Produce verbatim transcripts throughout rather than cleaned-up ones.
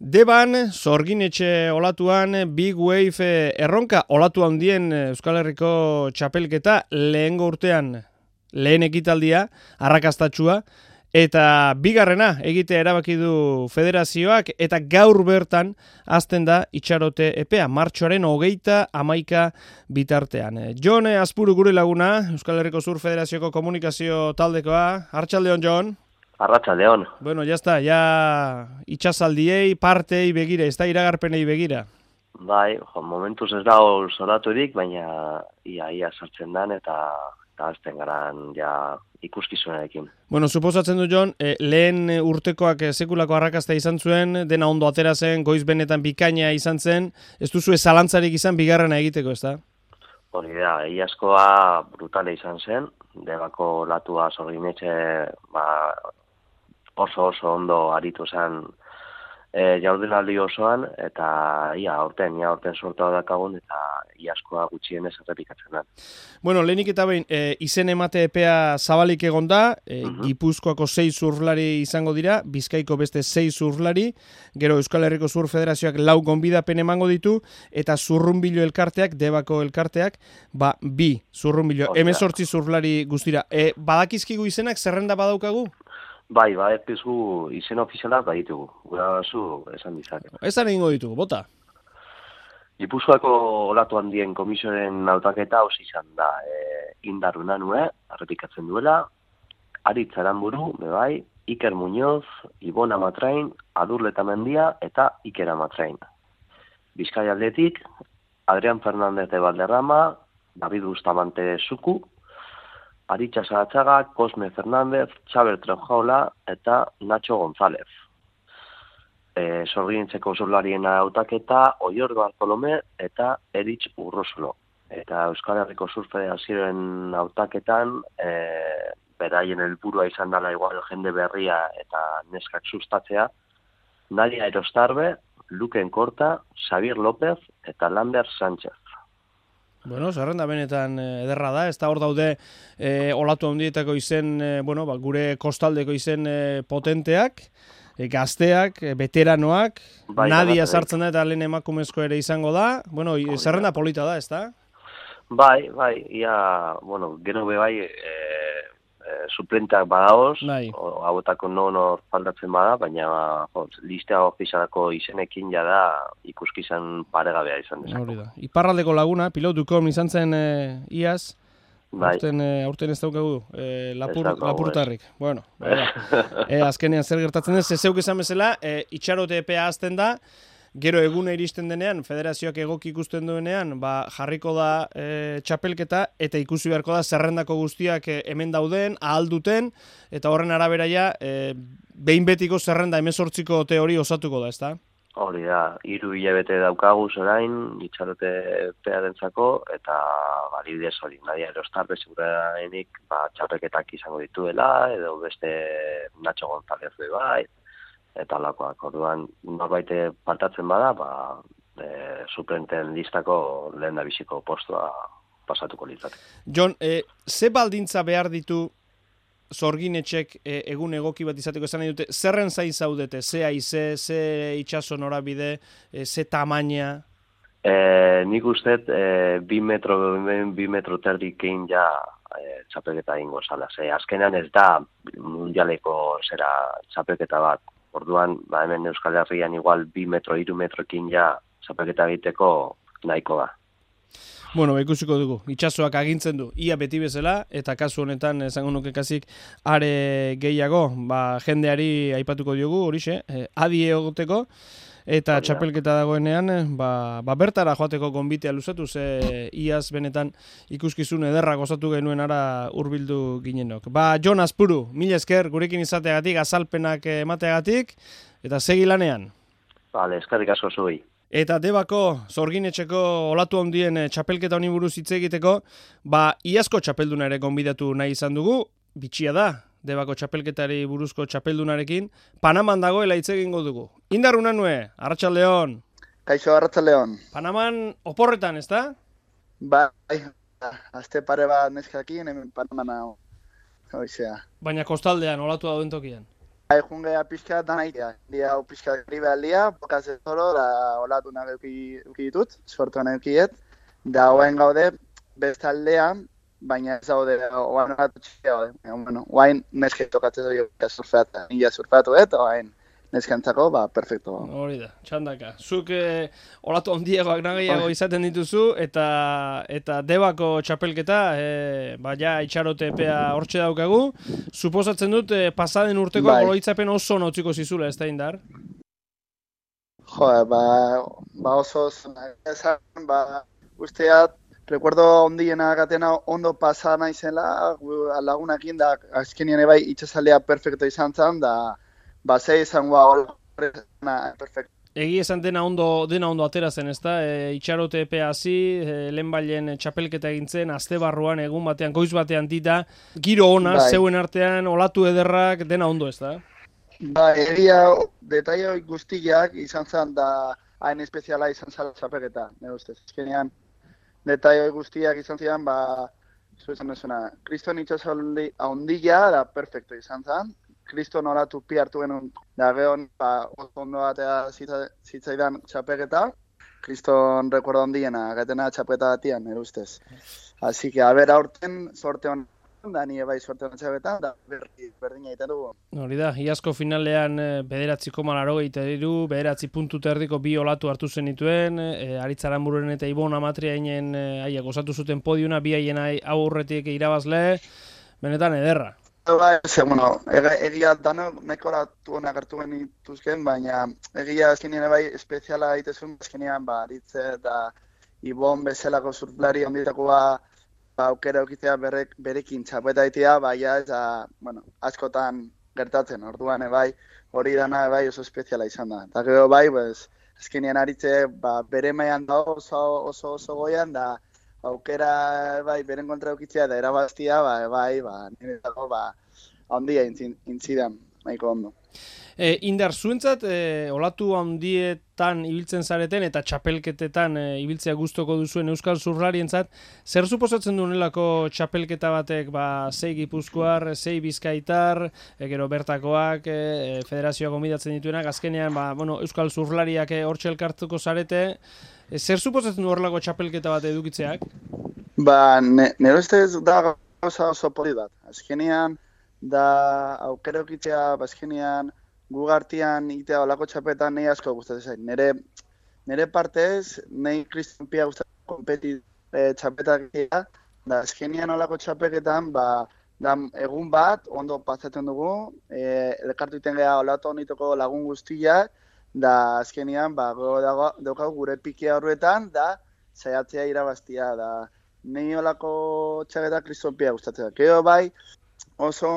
Deban, Sorginetxe olatuan, Big Wave erronka olatu handien Euskal Herriko txapelketa lehengo urtean lehen ekitaldia, arrakastatsua, eta bigarrena egitea erabaki du federazioak, eta gaur bertan hasten da itxarote epea, martxoaren hogeita hamaika bitartean. Jon Azpuru gure laguna, Euskal Herriko Sur Federazioko komunikazio taldekoa. Arratsaldeon, Jon. Arratsaldeon. Bueno, ya está, ya itxasaldiei, partei begira, ez da iragarpenei begira. Bai, jo, momentuz ez dago zoraturik, baina ia ia sartzen dan eta eta azten garan ja ikuskizunarekin. Bueno, suposatzen du, Jon, eh, lehen urtekoak sekulako arrakasta izan zuen, dena ondo atera zen, goiz benetan bikaina izan zen, ez duzu zalantzarik izan bigarrena egiteko, ez da? Hori da, iazkoa brutale izan zen, Debako latua Sorginetxe ba, oso oso ondo aritu zen e, jardunaldi osoan, eta ia aurten, ia aurten sortua dakagun, eta iazkoa gutxienez errepikatzen da. Bueno, lehenik eta behin, e, izen emate epea zabalik egon da, e, uh-huh. Gipuzkoako sei zurlari izango dira, Bizkaiko beste sei zurlari, gero Euskal Herriko Zur Federazioak lau gonbidapen emango ditu, eta Zurrunbilo elkarteak, Debako elkarteak, ba, bi Zurrunbilo, hemezortzi zurlari guztira. E, badakizkigu izenak, zerrenda badaukagu? Bai, bai, ezkizu izen ofizialak baditugu, gura zu esan dizakegu. Esan egingo ditugu, bota? Gipuzkoako olatu handien komisionen hautaketa hausi izan da, e, Indar Unanue, errepikatzen duela, Aritz Aranburu, bebai, Iker Muñoz, Ibon Amatrain, Adur Letamendia eta Iker Amatrain. Bizkai aldetik, Adrián Fernández de Valderrama, David Bustamante Zuku, Aritxa Saratxaga, Cosme Fernández, Xaber Trenjaola eta Nacho González. E, Sorginetxeko zurlarien hautaketa Oior Bartolome eta Eritz Urrosulo. Eta Euskal Herriko Zur Federazioen hautaketan e, beraien helburua izan dela igual jende berria eta neskak sustatzea, Nadia Erostarbe, Luken Korta, Xavier López eta Lander Sánchez. Bueno, zerrenda benetan ederra da, ez da hor daude e, olatu handietako izen, e, bueno, ba, gure kostaldeko izen e, potenteak, e, gazteak, e, veteranoak, bai, Nadia sartzen da eta lehen emakumezko ere izango da, bueno, oh, zerrenda ja. Polita da, ez da? Bai, bai, ia, bueno, gero be bai, e, e, suplentak badaoz, bai. Hauetako non hor faltatzen bada, baina jo, listea ofizialako izenekin jada ikuskizan paregabea izan dezako. Iparraldeko laguna, pilotukom izan zen e, iaz, bai. aurten, e, aurten ez daukagu, e, lapur, ez lapurtarrik. Ez. Bueno, e, azkenean zer gertatzen ez, zeuk esan bezala, e, itxarote epea azten da, gero egune iristen denean, federazioak egoki ikusten duenean, ba, jarriko da e, txapelketa, eta ikusi beharko da zerrendako guztiak e, hemen dauden, ahal duten, eta horren arabera ja, e, behin betiko zerrenda hemezortziko teori osatuko da, ezta? Hori da, hiru hilabete daukagu orain, itxarote pearentzako, eta balidez hori, Nadia Erostarbe segurarenik ba, txapelketak izango dituela, edo beste Nacho González bai, eta lakoak, orduan norbait partatzen bada, ba, e, suplenten listako lehen da biziko postua pasatuko litzake. Jon, e, ze baldintza behar ditu Sorginetxek e, egun egoki bat izateko esan nahi dute, zerren zain zaudete, ze haize, ze itxaso norabide, e, ze tamaina? E, nik uste e, bi metro, bi metro terdik egin ja e, txapelketa ingo zala. Ze, azkenean ez da mundialeko zera txapelketa bat. Orduan, ba, hemen Euskal Herrian igual bi metro, hiru metrokin ja txapelketa egiteko nahiko da. Bueno, ba, ikusiko dugu, itxasoak agintzen du, ia beti bezala, eta kasu honetan, esango nuke kasik, are gehiago, ba, jendeari aipatuko diogu, horixe, eh, adi egoteko, eta Oria. Txapelketa dagoenean, ba, ba bertara joateko gonbitea luzatu, ze iaz benetan ikuskizun ederra gozatu genuen ara hurbildu ginenok. Ba, Jon Azpuru, mila esker, gurekin izateagatik, azalpenak emateagatik, eta segi lanean. Vale, eskerrik asko zuei. Eta Debako, Sorginetxeko olatu handien txapelketa honi buruz hitz egiteko, ba, iazko txapelduna ere gonbidatu nahi izan dugu, bitxia da, Debako txapelketari buruzko txapeldunarekin, Panaman dagoela hitz egingo dugu. Indar Unanue, arratsaldeon. Kaixo, arratsaldeon. Panaman oporretan, ez da? Bai, aste pare bat neskakin, hemen Panamana hoizea. Baina kostaldean, olatu dauden tokian. Bai, jungea pixka da nahitea. Dia hau pixka gribe aldia, bokaz ez zoro, da olatu nahi euki ditut, sortuan eukiet. Da hoain gaude, bestaldean, baina ez daude, oain olatu txikia gaude. Bueno, oain neske tokatzen dut surfeatzen. Nila surfeatu dut, oain neskantzako, ba, perfecto. Hori da, txandaka. Zuk eh, olatu ondiegoak nagiago izaten dituzu, eta eta debako txapelketa, eh, ba, ja, itxarote epea hortxe daukagu. Suposatzen dut, eh, pasaden urteko bai. Goloitzapen oso notziko zizula, ez da indar? Jo, ba, ba oso esan, ba, usteat, recuerdo ondiena gatena ondo pasa naizela, lagunakin, da, azkenien ebai itxasaldea perfecto izan zen, da, ba, zei izango horrezana, perfecto. Egi esan dena ondo, dena ondo atera zen, ezta? E, itxarote epea hasi, e, lehenbailen txapelketa egintzen, aste barruan, egun batean, goiz batean dita, giro ona, bai. Zeuen artean, olatu ederrak, dena ondo, ezta? Ba, egia, detaio guztiak izan zen, da hain espeziala izan zala txapelketa, nire ustez. Ezkenean, detaio guztiak izan zidan, ba, zu esan duzuna, kriston itxasoldi ahondila, da perfecto izan zen. Kriston olatu pi hartu genuen, da gehon, ba, ondo batea zitzaidan txapeketa, Kriston rekuerdo ondiena, gatena txapeketa batian, nire ustez. Así que, a ber, aurten, sorte honen, da nire bai sorte honen txapetan, da berdi, berdina egiten dugu. Hori da, iazko finalean bederatzi koma laurogeita hiru, bederatzi puntu terdiko bi olatu hartu zenituen, e, Aritz Aranbururen eta Ibon Amatriainen haiek osatu zuten podiuna, bi haien aurretik irabazle, benetan ederra. Bai, ze, bueno, egia danok mekoratu honak hartu genituzken, baina egia azkenean bai espeziala egitezun, azkenean ba, Aritze eta Ibon bezalako surflari onditakoa ba, aukera eukitzea berek, berekin txapeta egitea, baina ez da, bueno, askotan gertatzen, orduan bai, hori dana bai oso espeziala izan da. Eta gero bai, pues, azkenean Aritze ba, bere maian da oso oso, oso goian, da aukera bai beren kontra eukitzea da erabaztia, ba, bai, ba, nire dago, ba, handia intzidan, nahiko ondo. E, Indar, zuentzat, e, olatu handietan ibiltzen zareten eta txapelketetan e, ibiltzea gustoko duzuen euskal surflarientzat, zer suposatzen duenelako txapelketa batek, ba, sei gipuzkoar, sei bizkaitar, e, gero bertakoak, e, federazioa gomidatzen dituenak, azkenean, ba, bueno, euskal surflariak e, hortxe elkartuko zarete, e, zer suposatzen du horrelako txapelketa bat edukitzeak? Ba, nire ustez da gauza oso poli bat. Azkenean, da aukera eukitzea, ba, azkenean, gugartian itea olako txapetan nahi asko gustatzen zain. Nere, nere partez, nahi Kriston Pia gustatzen kompeti e, txapetak egitea, da azkenean olako txapeketan, ba, da egun bat, ondo pasatzen dugu, e, elkartu iten geha olatu honitoko lagun guztiak, da azkenean, ba, daukagu gure pikia horretan, da saiatzea irabaztia, da nahi olako txapetak Kriston Pia gustatzen. Gero bai, oso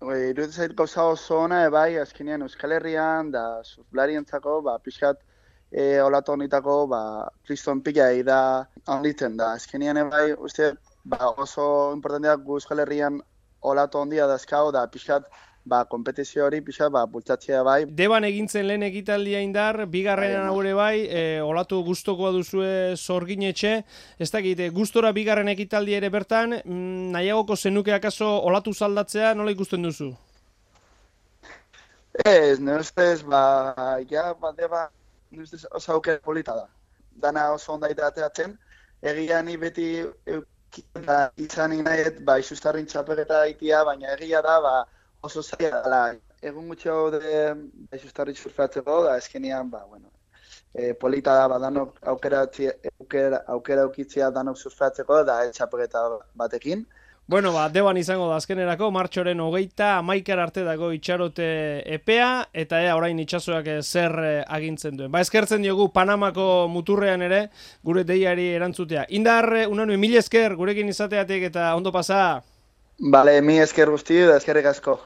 iruditzen zait gauza oso ona, bai, azkenean Euskal Herrian, da surflarientzako, ba, pixkat e, olatu honitako, ba, Kriston Pila da handitzen da. Azkenean, bai, uste, ba, oso importanteak gu Euskal Herrian olatu handia dazkau, da pixkat, ba, kompetizio hori pixkat, ba, bultzatzea bai. Deban egintzen lehen ekitaldia Indar, bigarrenan haure bai, e, olatu gustokoa duzue Zorginetxe, ez dakit, gustora bigarren ekitaldia ere bertan, mm, nahiagoko zenuke akaso olatu zaldatzea, nola ikusten duzu? Ez, nire ustez, ba, ja, ba, deba, nire ustez oso aukera polita da. Dana oso ondaita ateatzen, egia ni beti eukita izan inaet, ba, isustarrin txapeleta itia, baina egia da, ba, oso zaila dela, egun gutxi hau de isustarri surfeatzeko, da eskenean, ba, bueno, e, polita da, ba, danok aukera, aukera, aukera aukitzea danok surfeatzeko, da txapeleta batekin. Bueno, ba, deban izango da azkenerako, martxoren hogeita, amaikar arte dago itxarote epea, eta ea orain itxasoak zer agintzen duen. Ba, eskertzen diogu Panamako muturrean ere, gure deiari erantzutea. Indar, unanue, mil esker, gurekin izateatik eta ondo pasa. Bale, mi esker guzti da eskerrik asko.